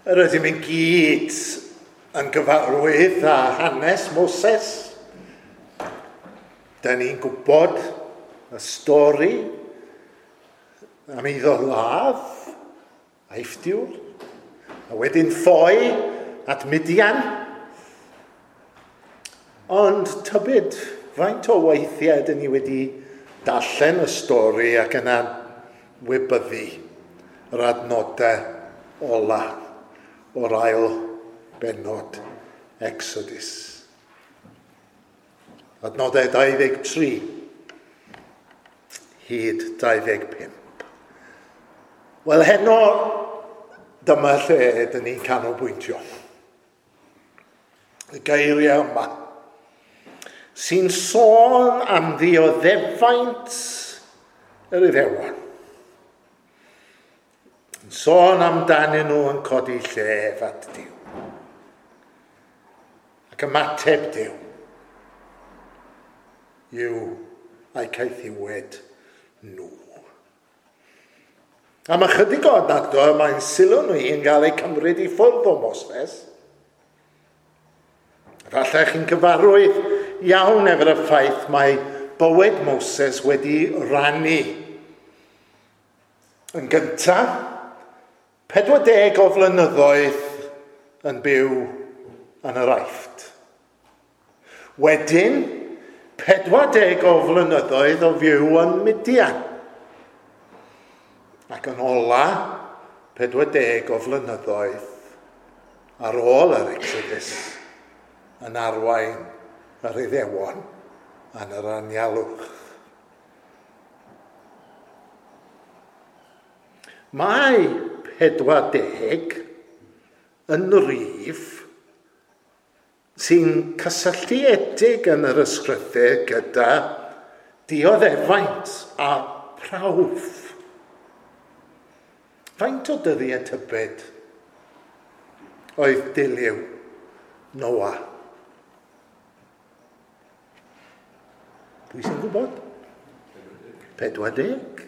Yr ydym yn gyd yn gyfarwydd â hanes Moses. Da ni'n gwybod y stori am iddo ladd Aifftiwr, a wedyn ffoi at Midian. Ond tybed, faint o weithiau dyn ni wedi darllen y stori ac yna wybyddu yr adnodau ola o'r ail bennod Exodus. Adnodau 23 hyd 25. Wel, heno dyma lle ydyn ni'n canolbwyntio. Y geiriau yma sy'n sôn am ddioddefaint yr Iddewon. Yn sôn amdanyn nhw yn codi llef at Duw. Ac ymateb Duw yw a'i caethiwed nhw. Am ychydig o adnodau, mae'n sylw nhw yn cael eu cymryd i ffwrdd o Moses. Falle chi'n cyfarwydd iawn efo'r ffaith mae bywyd Moses wedi rannu. Yn gyntaf, 40 o flynyddoedd yn byw yn yr Aifft. Wedyn, 40 o flynyddoedd o fyw yn Midian. Ac yn ola, 40 o flynyddoedd ar ôl yr Exodus yn arwain yr Iddewon yn yr anialwch. Mae 40 yn rif sy'n cysylltiedig yn yr ysgrythur gyda dioddefaint a prawf. Faint o dyddiau tybed oedd dilyw Noa? Pwy sy'n gwybod? 40.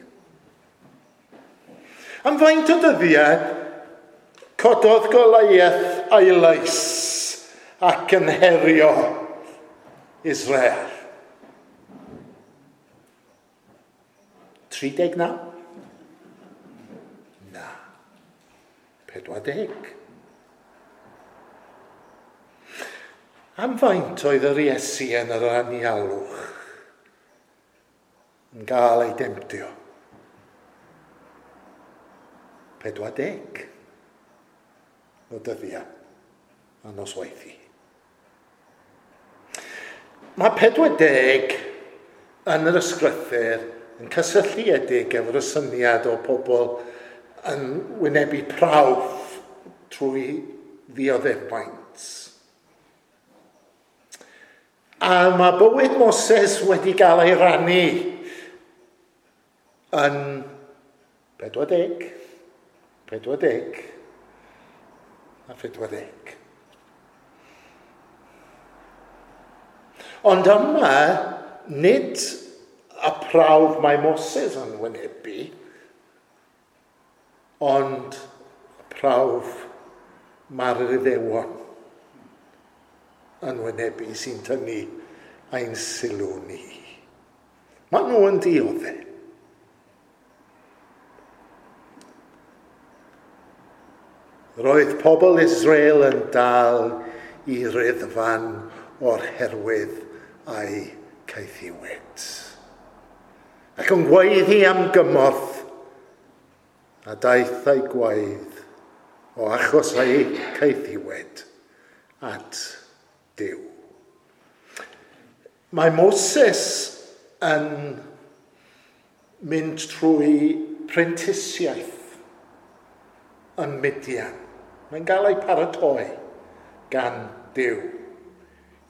Am faint o dyddiau cododd Goliath a'i lais ac yn herio Israel? 39? Na. 40. Am faint oedd yr Iesu yn yr anialwch yn gael ei demtio? 40 o dyddiau a nosweithi. Mae 40 yn yr ysgrythur yn cysylltiedig efo'r syniad o pobl yn wynebu prawf trwy ddioddefaint. A mae bywyd Moses wedi gael ei rannu yn 40, 40 a 40. Ond yma, nid y prawf mae Moses yn wynebu, ond y prawf mae'r Iddewon yn wynebu sy'n tynnu ein sylw ni. Maen nhw yn dioddef. Roedd pobl Israel yn dal i riddfan o'r herwydd a'i caethiwyd. Ac yn gweiddi am gymorth, a daeth ei gwaedd o achos ei caethiwed at Duw. Mae Moses yn mynd trwy prentisiaeth yn Midian. Mae'n gael ei paratoi gan Duw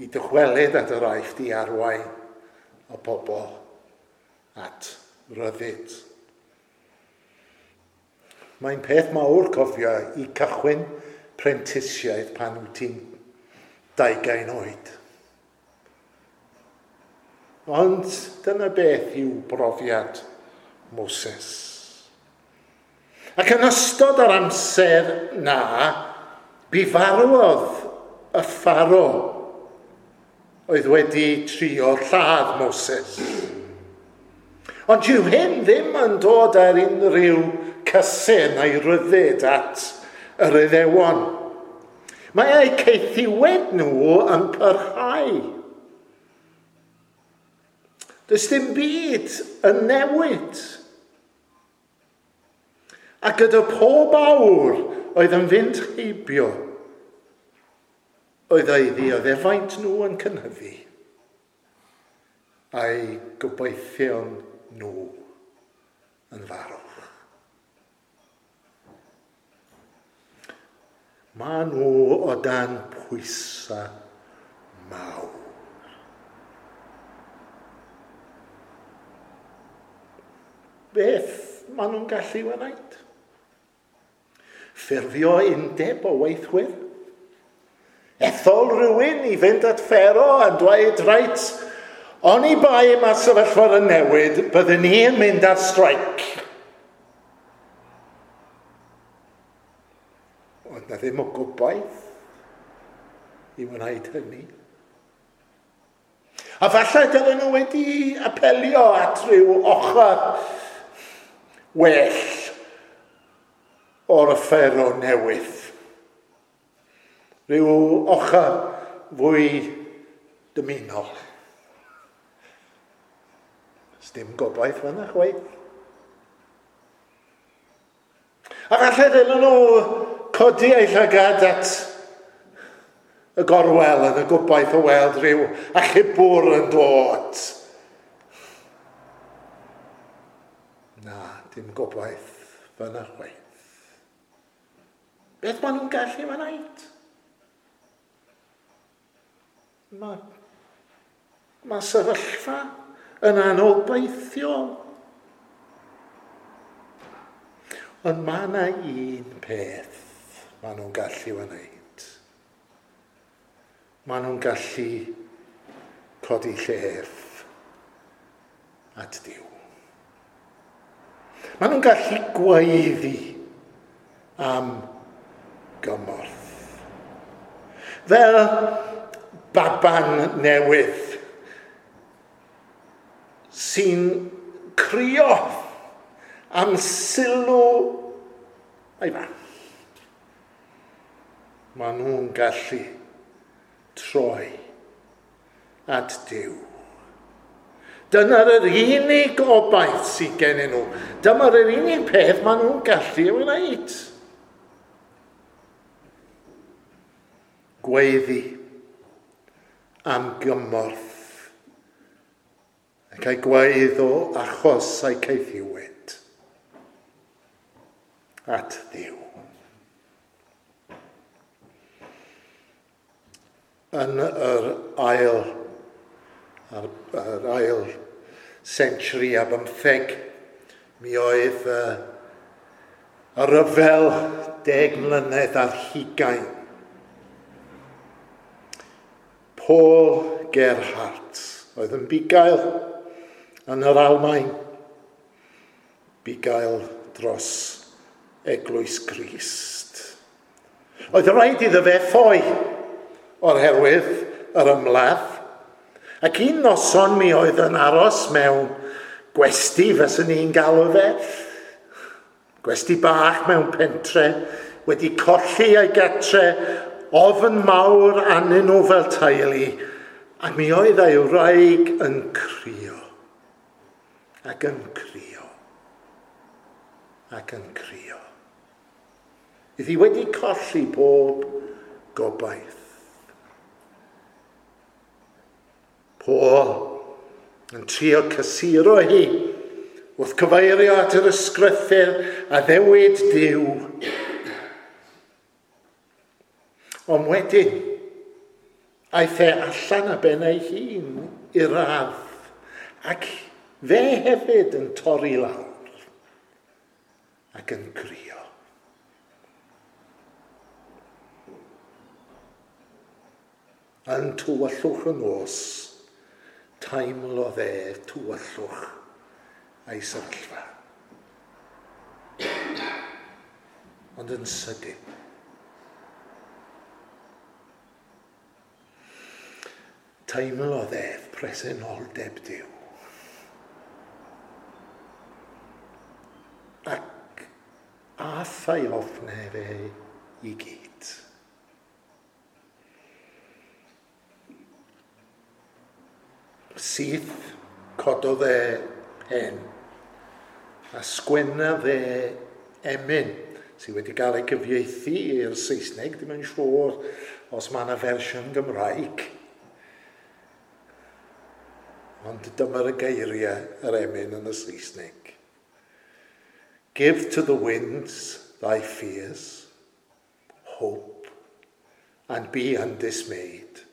i dychwelyd at yr Aifft i arwain y pobl at ryddid. Mae'n peth mawr cofio i cychwyn prentisiaeth pan wyt ti'n 20 oed. Ond dyna beth yw brofiad Moses. Ac yn ystod yr amser na, Bu farwodd y Pharaoh oedd wedi trio lladd Moses. Ond yw hyn ddim yn dod ar unrhyw cysur neu ryddid at yr Iddewon. Mae eu caethiwed nhw yn parhau. Does dim byd yn newid. A gyda pob awr oedd yn fynd heibio, oedd ei ddioddefaint nhw yn cynhyddu, a'i gobeithion nhw yn farw. Maen nhw o dan pwysau mawr. Beth maen nhw'n gallu wneud? Ffurfio undeb o weithwyr? Ethol rhywun i fynd at Pharaoh a dweud, reit, oni bai mae'r sefyllfa yn newid, byddwn ni yn mynd ar streic. Oedd na ddim o gobaith i wneud hynny. A falle dylen nhw wedi apelio at rhyw ochr well o'r Pharaoh newydd. Rhyw ochr fwy dymunol. Does dim gobaith fan'na chwaith. A falle ddylen nhw codi eu llygad at y gorwel yn y gobaith o weld rhyw achubwr yn dod. Na, dim gobaith fan'na chwaith. Beth maen nhw'n gallu wneud? Mae sefyllfa yn anobeithiol. Ond mae yna un peth maen nhw'n gallu wneud. Maen nhw'n gallu codi llef at Duw. Maen nhw'n gallu gweiddi am gymorth. Fel baban newydd sy'n crio am sylw ei fam. Maen nhw'n gallu troi at Duw. Dyna'r yr unig obaith sydd gennyn nhw. Dyma'r yr unig peth maen nhw'n gallu ei wneud. Gweiddi am gymorth ac ei gwaedd o achos a'i caethiwed at Dduw. Yn yr ail century a bymtheg, mi oedd y rhyfel 10 mlynedd ar hugain. Paul Gerhardt oedd yn bugail yn yr Almaen, bugail dros Eglwys Grist. Oedd rhaid iddo fe ffoi o'r herwydd yr ymladd, ac un noson mi oedd yn aros mewn gwesty, fyswn ni'n galw fe, gwesty bach mewn pentre, wedi colli ei gatre, ofn mawr arnyn nhw fel teulu, ac mi oedd ei wraig yn crio, ac yn crio, ac yn crio. Iddi wedi colli pob gobaith. Paul yn trio cysuro hi wrth cyfeirio at yr ysgrythur a ddewid Duw. Ond wedyn, aeth e allan a ben ei hun i'r ardd, ac fe hefyd yn torri lawr ac yn crio. Yn tywyllwch y nos, teimlodd e tywyllwch a'i sefyllfa. Ond yn sydyn, Teimlodd ef presenoldeb Duw. Ac ath ei ofnau fe i gyd. Syth cododd e pen a sgwennodd e emyn sydd wedi cael ei gyfieithu i'r Saesneg, ddim yn siŵr os mae yna fersiwn Gymraeg. Ond dyma'r geiriau yr emyn yn y Saesneg. Give to the winds thy fears, hope, and be undismayed.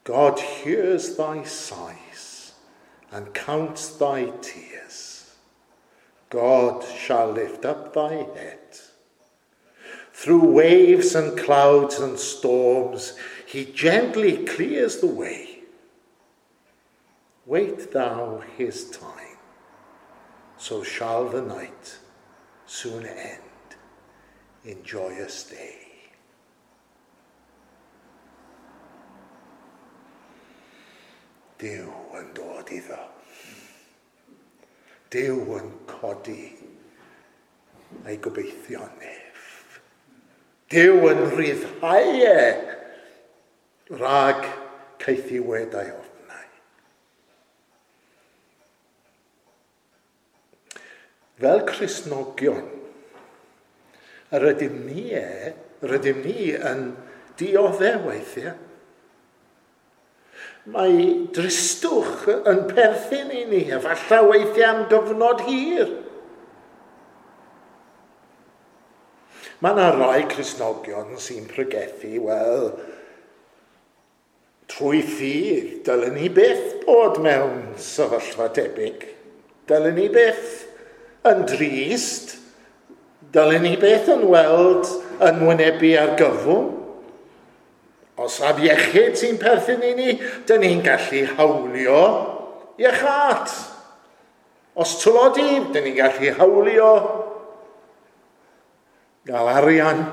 God hears thy sighs and counts thy tears. God shall lift up thy head. Through waves and clouds and storms, he gently clears the way. Wait thou his time, so shall the night soon end in joyous day. Duw yn dod iddo. Duw yn codi ei gobeithion ef. Duw yn rhyddhau e rhag caethiwed a'i ofnau. Fel Cristnogion, yr ydym ni yn dioddef weithiau. Mae dristwch yn perthyn i ni, efallai weithiau am gyfnod hir. Mae yna rai Cristnogion sy'n pregethu, wel, trwy ffydd, dylen ni byth bod mewn sefyllfa debyg. Dylen ni byth yn drist. Dylen ni byth yn weld yn wynebu argyfwng. Os afiechyd sy'n perthyn i ni, dyn ni'n gallu hawlio iechad. Os tlodi, dyn ni'n gallu hawlio gael arian,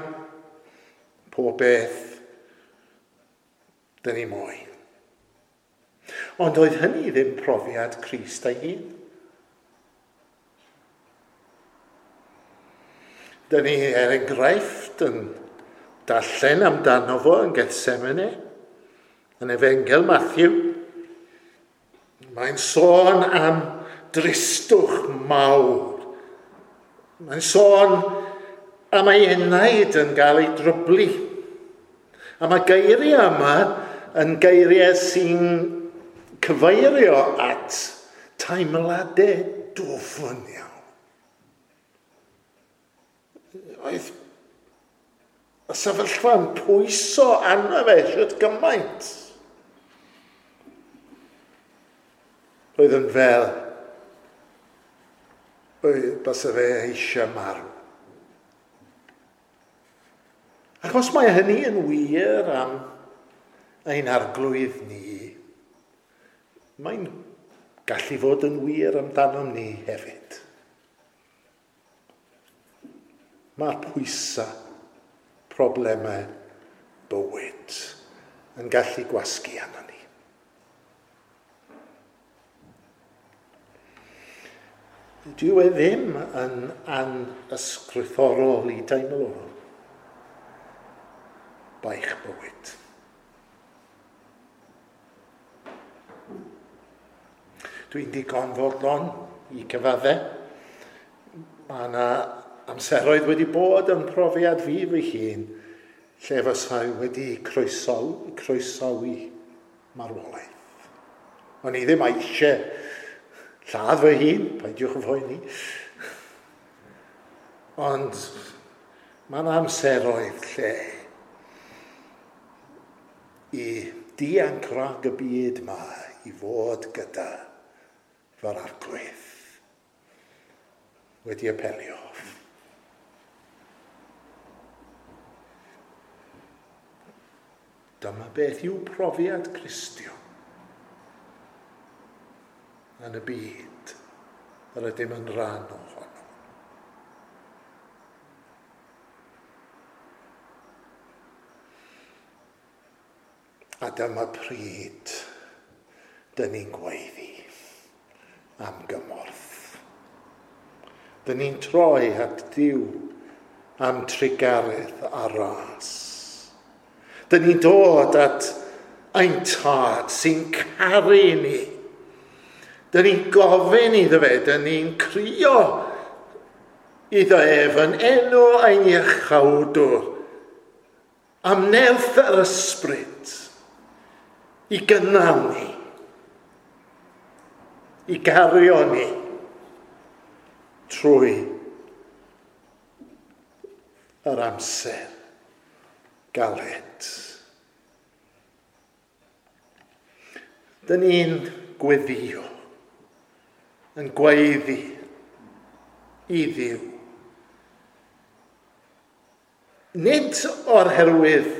pob beth dyn ni moyn. Ond oedd hynny ddim profiad Crist ei hun. Dyn ni, er enghraifft, yn darllen amdano fo yn Gethsemane, yn Efengyl Matthew. Mae'n sôn am dristwch mawr. Mae'n sôn am ei enaid yn cael ei dryblu. A mae geiriau yma yn geiriau sy'n cyfeirio at teimladau dwfn iawn. Oedd y sefyllfa yn pwyso arno fe shwt gymaint. Roedd yn fel bysa fe eisiau marw. Ac os mae hynny yn wir am ein arglwydd ni, mae'n gallu fod yn wir amdanom ni hefyd. Mae'r pwysau, problemau bywyd yn gallu gwasgu arno ni. Dyw e ddim yn anysgrythorol i deimlo baich bywyd. Dwi'n digon fodlon i cyfadde. Mae yna amseroedd wedi bod yn profiad fi fy hun lle fysai wedi croesawu marwolaeth. O'n i ddim eisiau lladd fy hun, peidiwch yn phoeni. Ond mae yna amseroedd lle i dianc rhag y byd ma i fod gyda fy'r arglwydd wedi apelio. Dyma beth yw profiad Cristion yn y byd yr ydym yn rhan ohono. A dyma pryd dyn ni'n gweiddi am gymorth. Dyn ni'n troi at Dduw am trugaredd a ras. Dyn ni'n dod at ein Tad sy'n caru ni. Dyn ni'n gofyn iddo fe, dyn ni'n crio iddo ef yn enw ein Iachawdwr am nerth yr ysbryd i gynnal ni, i gario ni trwy yr amser galed. Dyn ni'n gweddio, yn gweiddi i Dduw. Nid o'r herwydd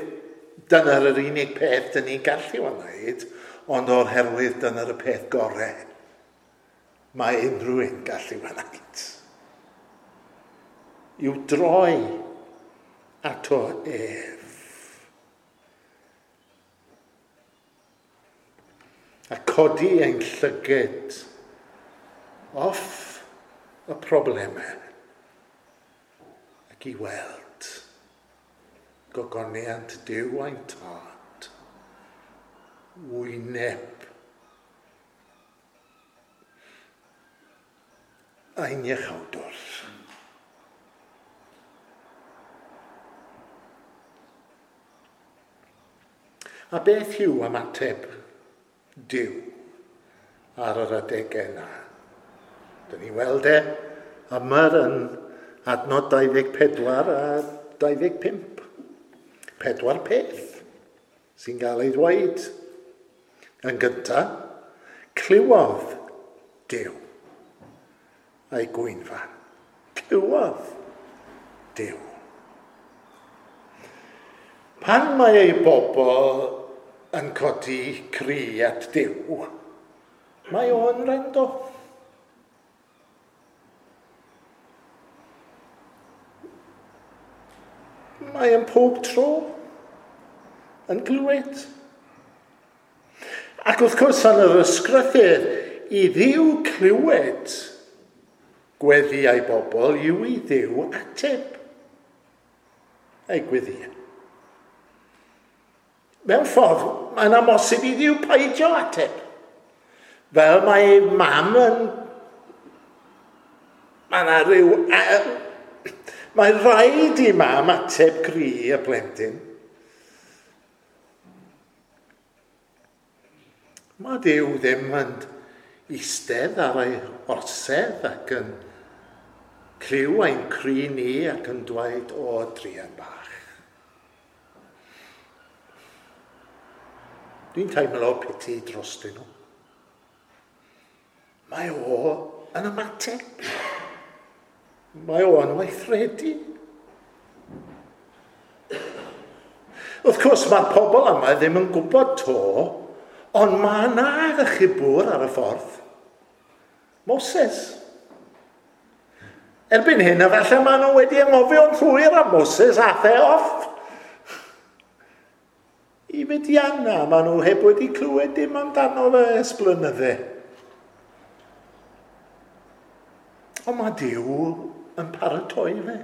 dyna'r yr unig peth dyn ni'n gallu wneud, ond o'r herwydd dyna'r y peth gorau mae unrhyw un gallu wneud. I'w droi ato ef. A codi ein llyged off y problemau ac i weld gogoniant Duw ein Tad, wyneb ein Iachawdwr. A beth yw ymateb Duw ar yr adegau yna? Dyn ni weld e yma yn adnod 24 a 25. 4 peth sy'n cael ei ddweud. Yn gyntaf, clywodd Duw a'i gwynfan. Clywodd Duw. Pan mae ei bobl yn codi cri at Duw, mae o'n rando. Mae yn pob tro yn glywed. Ac wrth gwrs yn yr ysgrythur, i Dduw clywed gweddïau bobl yw i Dduw ateb ei gweddïau. Mewn ffordd, mae'n amhosib i Dduw peidio ateb. Fel mae mam yn... Mae yna rhyw... Mae rhaid i mam ateb cri y plentyn. Mae Duw ddim yn eistedd ar ei orsedd ac yn clyw ein cri ni ac yn dweud, o, druan bach. Dwi'n teimlo piti drostyn nhw. Mae o yn ymateb. Mae o yn weithredu. Wrth gwrs, mae'r pobl yma ddim yn gwybod to, ond mae yna achubwr ar y ffordd. Moses. Erbyn hyn, efallai maen nhw wedi anghofio'n llwyr am Moses a the off. I Midiana, maen nhw heb wedi clywed dim amdano fe ers blynydde. Ond mae Duw yn paratoi fe.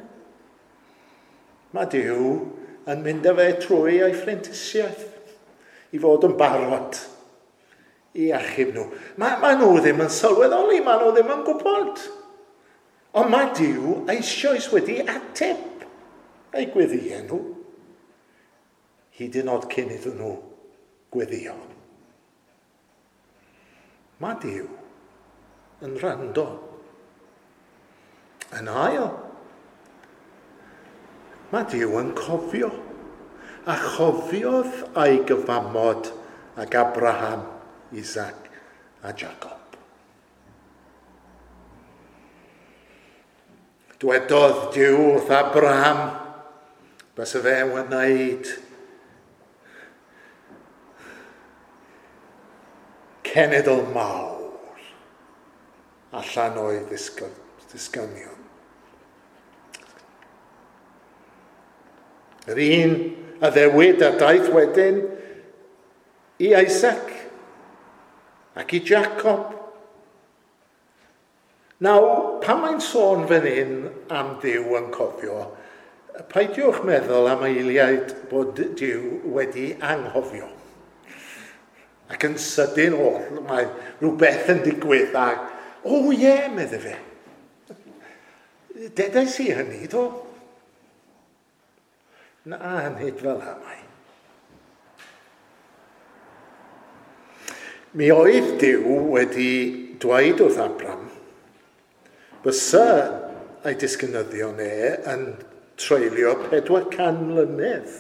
Mae Duw yn mynd â fe trwy ei phrentisiaeth i fod yn barod i achub nhw. Mae nhw ddim yn sylweddoli, mae nhw ddim yn gwybod. Ond mae Duw eisoes wedi ateb eu gweddïau nhw, hyd yn oed cyn iddyn nhw gweddio. Mae Duw yn rando. Yn ail, mae Duw yn cofio, a chofiodd a'i gyfamod ag Abraham, Isaac a Jacob. Dwedodd Duw wrth Abraham, bysa fe wneud cenedl mawr allan o'i ddisgynion. Yr un addewid a daeth wedyn I Isaac ac i Jacob. Nawr, pan mae'n sôn fan hyn am Dduw yn cofio, peidiwch meddwl am eiliad bod Duw wedi anghofio. Ac yn sydyn oll, mae rhywbeth yn digwydd ac, o ie, yeah, medde fe. Dedes i hynny, do? Na, nid fel yma mae. Mi oedd Duw wedi dweud wrth Abram, bysa ei disgynyddion e yn treulio 400 mlynedd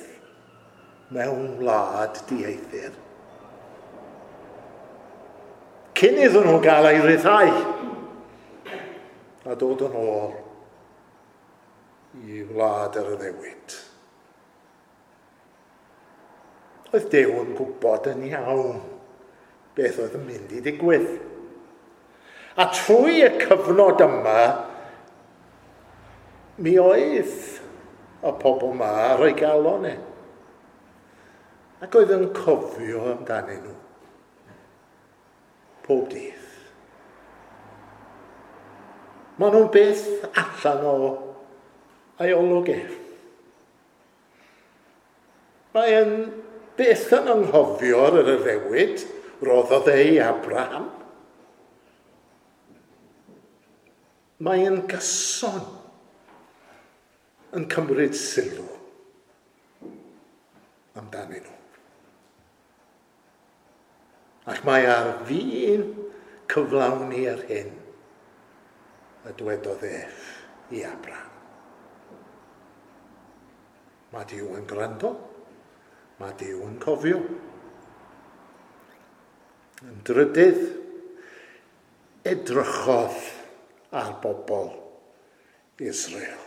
mewn wlad dieithr. Cyn iddyn nhw gael ei ryddhau a dod yn ôl i wlad yr addewid. Oedd Duw yn gwybod yn iawn beth oedd yn mynd i ddigwydd. A trwy y cyfnod yma, mi oedd y pobl yma ar ei galon e. Ac oedd yn cofio amdanyn nhw. Pob dydd. Maen nhw'n beth allan o ei olwg ef. Mae'n beth yn anghofio ar yr addewid roddodd e i Abraham. Mae'n gyson yn cymryd sylw amdanyn nhw. Ac mae ar fin cyflawni yr hyn y dwedodd ef i Abraham. Mae Duw yn gwrando, mae Duw yn cofio. Yn drydydd, edrychodd ar bobl Israel.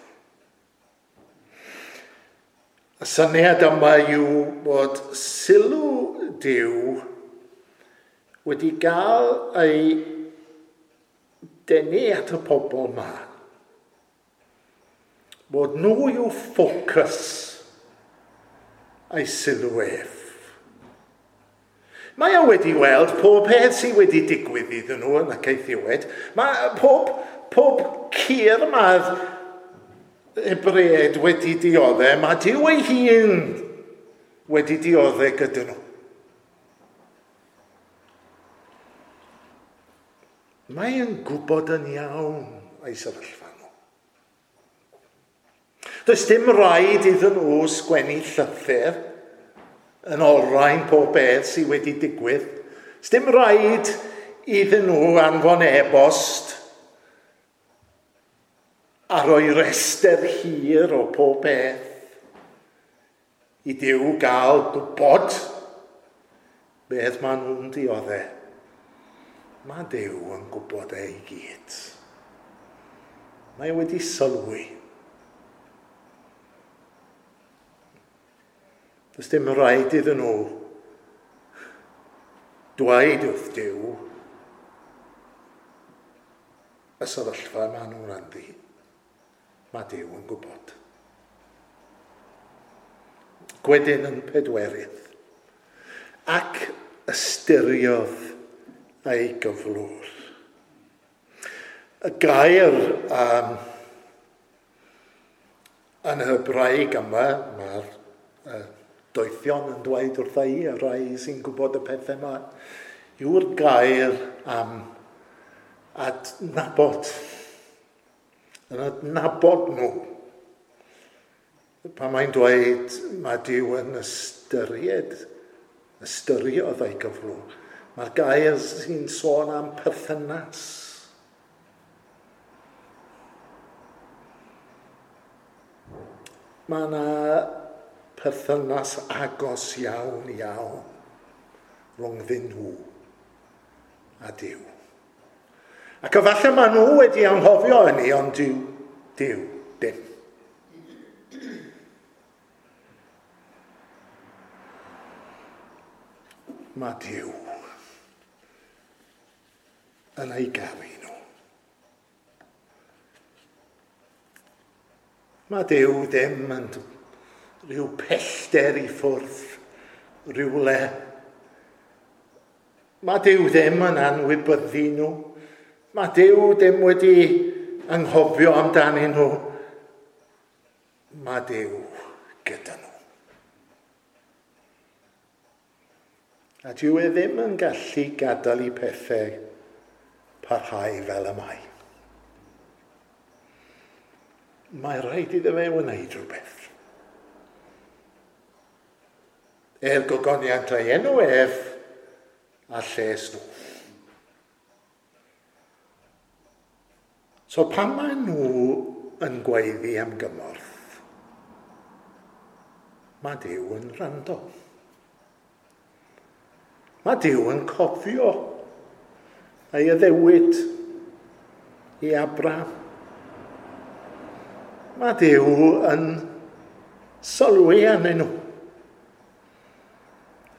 Y syniad yma yw bod sylw Duw wedi gael ei denu at y pobl yma. Bod nhw yw ffocws ei sylw ef. Mae o wedi weld pob peth sydd wedi digwydd iddyn nhw yn y caethiwed. Mae pob cur mae'r Hebreaid wedi dioddef, mae Duw ei hun wedi dioddef gyda nhw. Mae yn gwybod yn iawn ei sefyllfa nhw. Does dim rhaid iddyn nhw sgwennu llythyr yn olrhain pob beth sydd wedi digwydd. Does dim rhaid iddyn nhw anfon e-bost a rhoi restr hir o pob beth i Duw gael gwybod beth maen nhw'n dioddef. Mae Duw yn gwybod e i gyd. Mae wedi sylwi. Does dim rhaid iddyn nhw dweud wrth Duw y sefyllfa maen nhw'n ynddi. Mae Duw yn gwybod. Gwedyn yn pedwerydd. Ac ystyriodd ei gyflwr. Y gair yn Hebraeg yma, mae'r doethion yn dweud wrtha i, y rhai sy'n gwybod y pethau yma, yw'r gair am adnabod. Yn adnabod nhw. Pan mae'n dweud mae Duw yn ystyriodd ei gyflwr, mae'r gair sy'n sôn am perthynas. Mae yna perthynas agos iawn iawn rhwngddyn nhw a Duw. Ac efallai maen nhw wedi anghofio hynny, ond Duw, dim. Mae Duw yn ei garu nhw. Mae Duw ddim yn rhyw pellter i ffwrdd, rhywle Mae Duw ddim yn anwybyddu nhw. Mae Duw ddim wedi anghofio amdanyn nhw. Mae Duw gyda nhw. A dyw e ddim yn gallu gadael i pethau parhau fel y mae. Mae rhaid iddo fe wneud rhywbeth. Er gogoniant ei enw ef a lles nhw. So pan maen nhw yn gweiddi am gymorth, mae Duw yn rando. Mae Duw yn cofio ei addewid i Abraham. Mae Duw yn sylwi arnyn nhw.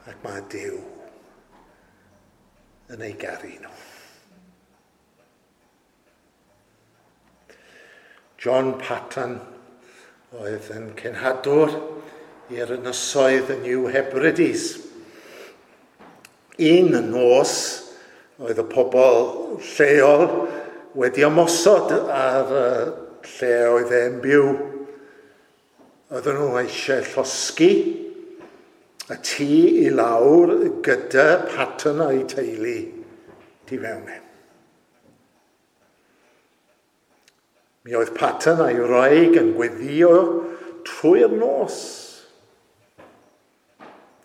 Ac mae Duw yn ei garu nhw. John Patton oedd yn cenhadwr i'r ynysoedd y New Hebrides. Un nos oedd y pobl lleol wedi ymosod ar lle oedd e'n byw. Oedden nhw eisiau llosgi y tŷ i lawr gyda Patton a'i teulu tu fewn e. Mi oedd Patton a'i wraig yn gweddïo trwy'r nos.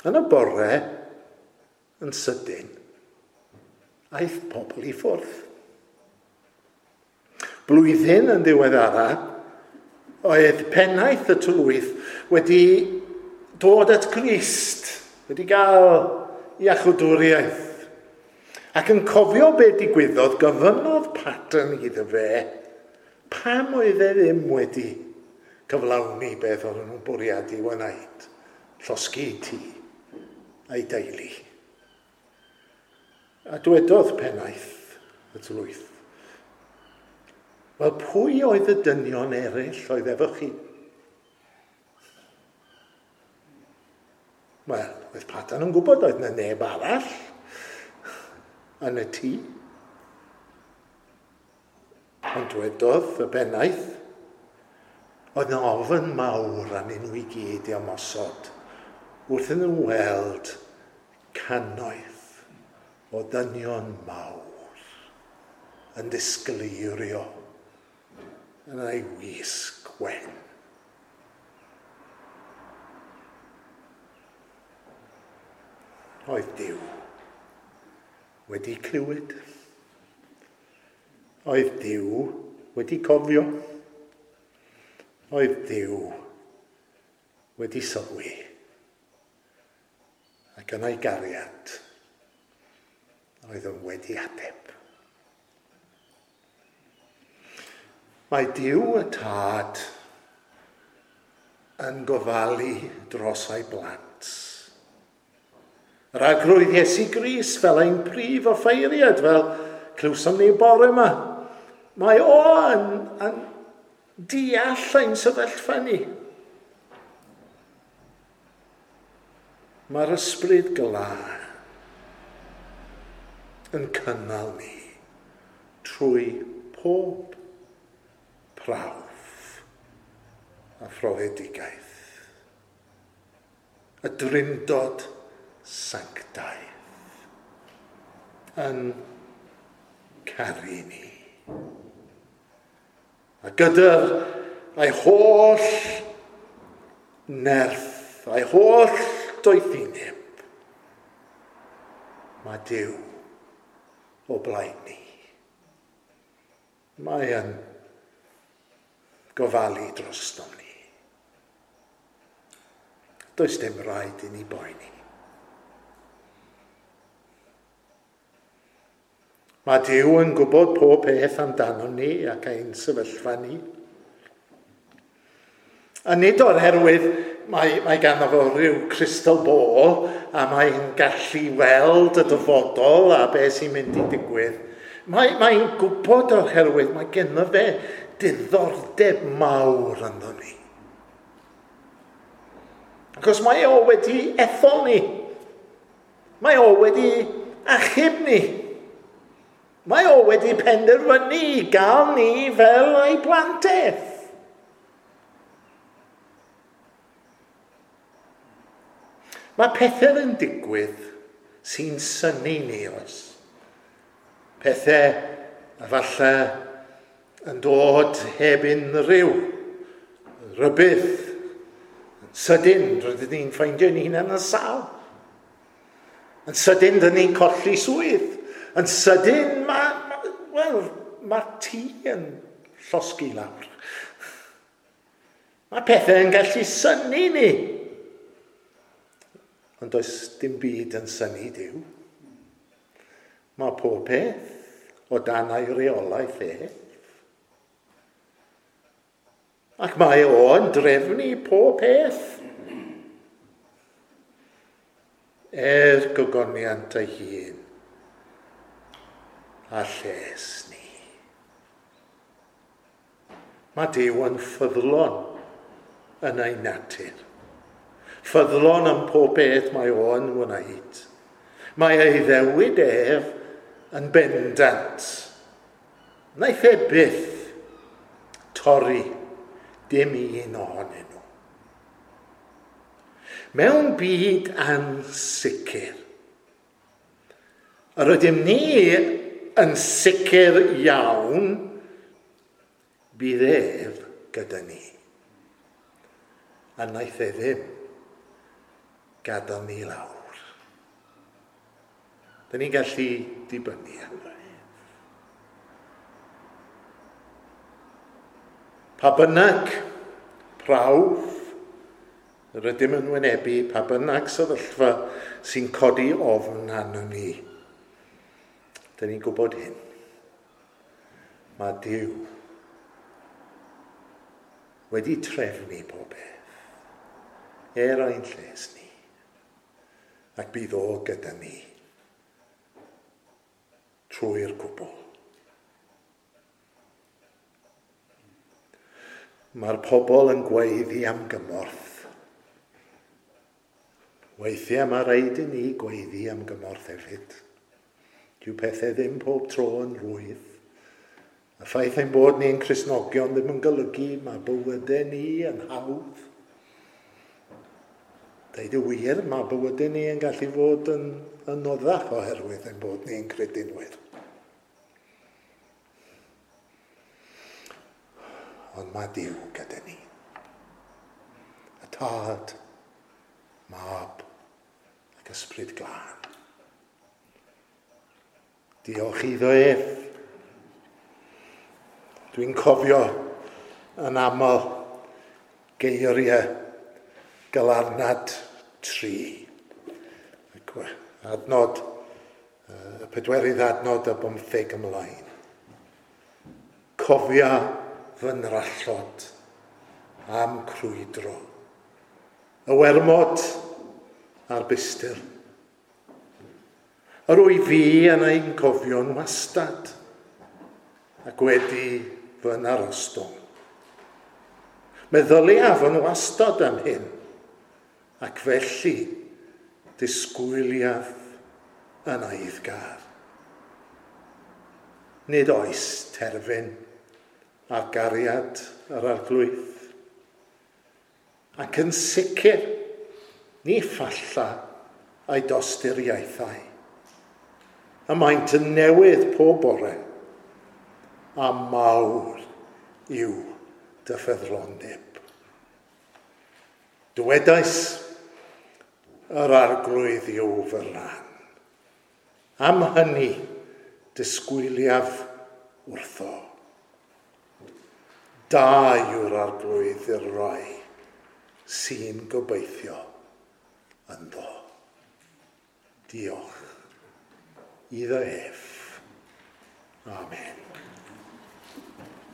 Yn y bore, yn sydyn, aeth pobl i ffwrdd. Blwyddyn yn ddiweddara, oedd pennaeth y tylwyth wedi dod at Grist, wedi gael iachwdwriaeth. Ac yn cofio be digwyddodd, gofynnodd Patton iddo fe pam oedd e ddim wedi cyflawni beth oedden nhw'n bwriadu wneud, llosgi tŷ a'i deulu. A dwedodd pennaeth y tylwyth, wel, pwy oedd y dynion eraill oedd efo chi? Wel, oedd Patton yn gwybod oedd yna neb arall yn y tŷ. Ond dwedodd y pennaeth, oedd yna ofn mawr arnyn nhw i gyd i ymosod wrth iddyn nhw weld cannoedd o ddynion mawr yn disgleirio yn ei wisg wen. Oedd Duw wedi clywed. Oedd Duw wedi cofio. Oedd Duw wedi sylwi. Ac yn ei gariad, oedd yn wedi ateb. Mae Duw y Tad yn gofalu dros ei blant. Yr arglwydd Iesu Grist fel ein prif offeiriad, fel clywsom ni bore yma. Mae o yn deall ein sefyllfa ni. Mae'r ysbryd glân yn cynnal ni trwy pob prawf a phrofedigaeth. Y drindod sanctaidd yn caru ni. A gyda'r ei holl nerth, ei holl doethineb, mae Duw o blaen ni. Mae yn gofalu drostom ni. Does dim rhaid i ni boeni. Mae Duw yn gwybod pob peth amdano ni ac ein sefyllfa ni. A nid o'r herwydd mae ganddo fo rhyw crystal ball a mae'n gallu weld y dyfodol a beth sy'n mynd i digwydd. Mae'n gwybod o'r herwydd mae ganddo fe diddordeb mawr ynddo ni. Achos mae o wedi ethol ni. Mae o wedi achub ni. Mae o wedi penderfynu i gael ni fel ei plant ef. Mae pethau yn digwydd sy'n synnu ni, oes. Pethau efallai yn dod heb unrhyw rybudd. Yn sydyn, rydyn ni'n ffeindio ni'n hunain yn sâl. Yn sydyn, dyn ni'n colli swydd. Yn sydyn, mae tŷ yn llosgi lawr. Mae pethau yn gallu synnu ni. Ond does dim byd yn synnu Duw. Mae pob peth o dan ei reolaeth e. Ac mae o'n drefnu pob peth. Er gogoniant ei hun a lles ni. Mae Duw yn ffyddlon yn ei natur. Ffyddlon am pob beth mae o'n wneud. Mae ei ddewid ef yn bendant. Wnaeth e byth torri dim un ohonyn nhw. Mewn byd ansicr, yr ydym ni yn sicr iawn, bydd ef gyda ni. A wnaeth e ddim gadael ni lawr. Dyn ni'n gallu dibynnu arno ef. Pa bynnag prawf rydym yn wynebu, pa bynnag sefyllfa sy'n codi ofn arnon ni, dyn ni'n gwybod hyn. Mae Duw wedi trefnu pob peth er ein lles ni, ac bydd o gyda ni trwy'r cwbl. Mae'r pobl yn gweiddi am gymorth. Weithiau mae rhaid i ni gweiddi am gymorth hefyd. Dyw pethau ddim pob tro yn rhwydd. Y ffaith ein bod ni'n Cristnogion ddim yn golygu mae bywydau ni yn hawdd. Deud y wir, mae bywydau ni yn gallu fod yn anoddach oherwydd ein bod ni'n credinwyr. Ond mae Duw gyda ni. Y Tad, Mab ac Ysbryd Glân. Diolch iddo ef. Dwi'n cofio yn aml geiriau Galarnad 3. Adnod, y pedwerydd adnod a 15 ymlaen. Cofia fy nrallod am crwydro. Y wermod a'r bistir. Yr wyf fi yn ein cofio'n wastad ac wedi fy narostwng. Meddyliaf yn wastad am hyn, ac felly disgwyliaf yn eiddgar. Nid oes terfyn ar gariad yr Arglwydd. Ac yn sicr, ni ffalla ei dosturiaethau. Y maent yn newydd pob bore, a mawr yw dy ffyddlondeb. Dywedais, yr Arglwydd yw fy rhan. Am hynny, disgwyliaf wrtho. Da yw'r Arglwydd i'r rai sy'n gobeithio ynddo. Diolch iddo ef. Amen.